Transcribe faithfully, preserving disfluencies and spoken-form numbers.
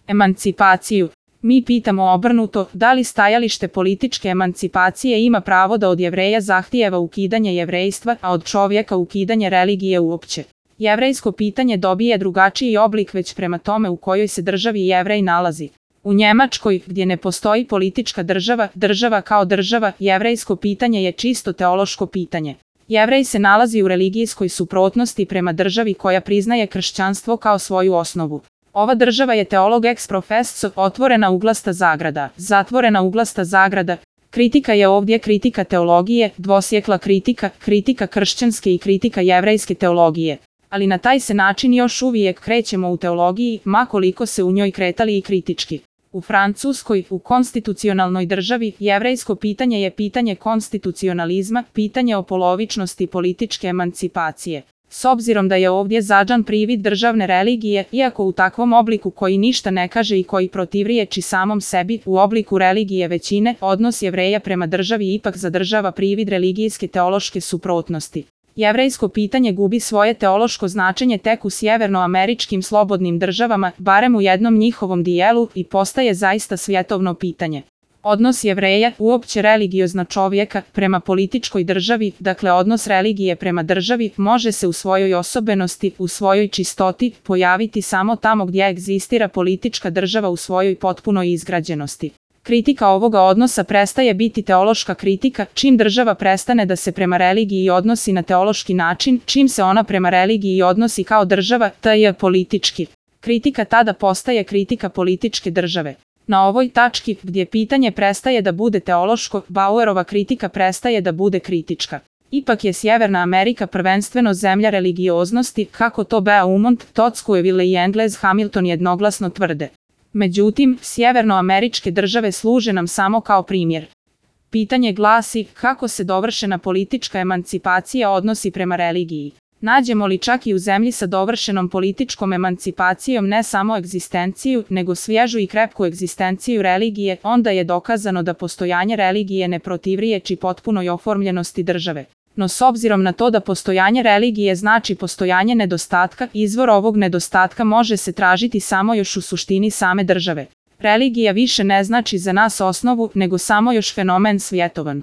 Emancipaciju. Mi pitamo obrnuto, da li stajalište političke emancipacije ima pravo da od Jevreja zahtijeva ukidanje jevrejstva, a od čovjeka ukidanje religije uopće. Jevrejsko pitanje dobije drugačiji oblik već prema tome u kojoj se državi Jevrej nalazi. U Njemačkoj, gdje ne postoji politička država, država kao država, jevrejsko pitanje je čisto teološko pitanje. Jevrej se nalazi u religijskoj suprotnosti prema državi koja priznaje kršćanstvo kao svoju osnovu. Ova država je teolog ex professo, otvorena uglasta zagrada, zatvorena uglasta zagrada. Kritika je ovdje kritika teologije, dvosjekla kritika, kritika kršćanske i kritika jevrejske teologije. Ali na taj se način još uvijek krećemo u teologiji, ma koliko se u njoj kretali i kritički. U Francuskoj, u konstitucionalnoj državi, jevrejsko pitanje je pitanje konstitucionalizma, pitanje o polovičnosti političke emancipacije. S obzirom da je ovdje zadžan privid državne religije, iako u takvom obliku koji ništa ne kaže i koji protivriječi samom sebi, u obliku religije većine, odnos Jevreja prema državi ipak zadržava privid religijske teološke suprotnosti. Jevrejsko pitanje gubi svoje teološko značenje tek u sjevernoameričkim slobodnim državama, barem u jednom njihovom dijelu, i postaje zaista svjetovno pitanje. Odnos Jevreja, uopće religiozna čovjeka, prema političkoj državi, dakle odnos religije prema državi, može se u svojoj osobenosti, u svojoj čistoti, pojaviti samo tamo gdje egzistira politička država u svojoj potpunoj izgrađenosti. Kritika ovoga odnosa prestaje biti teološka kritika, čim država prestane da se prema religiji odnosi na teološki način, čim se ona prema religiji odnosi kao država, ta je politički. Kritika tada postaje kritika političke države. Na ovoj tački, gdje pitanje prestaje da bude teološko, Bauerova kritika prestaje da bude kritička. Ipak je Sjeverna Amerika prvenstveno zemlja religioznosti, kako to Beaumont, Tocqueville i Engels Hamilton jednoglasno tvrde. Međutim, sjevernoameričke države služe nam samo kao primjer. Pitanje glasi, kako se dovršena politička emancipacija odnosi prema religiji? Nađemo li čak i u zemlji sa dovršenom političkom emancipacijom ne samo egzistenciju, nego svježu i krepku egzistenciju religije, onda je dokazano da postojanje religije ne protivriječi potpunoj oformljenosti države. No s obzirom na to da postojanje religije znači postojanje nedostatka, izvor ovog nedostatka može se tražiti samo još u suštini same države. Religija više ne znači za nas osnovu, nego samo još fenomen svjetovan.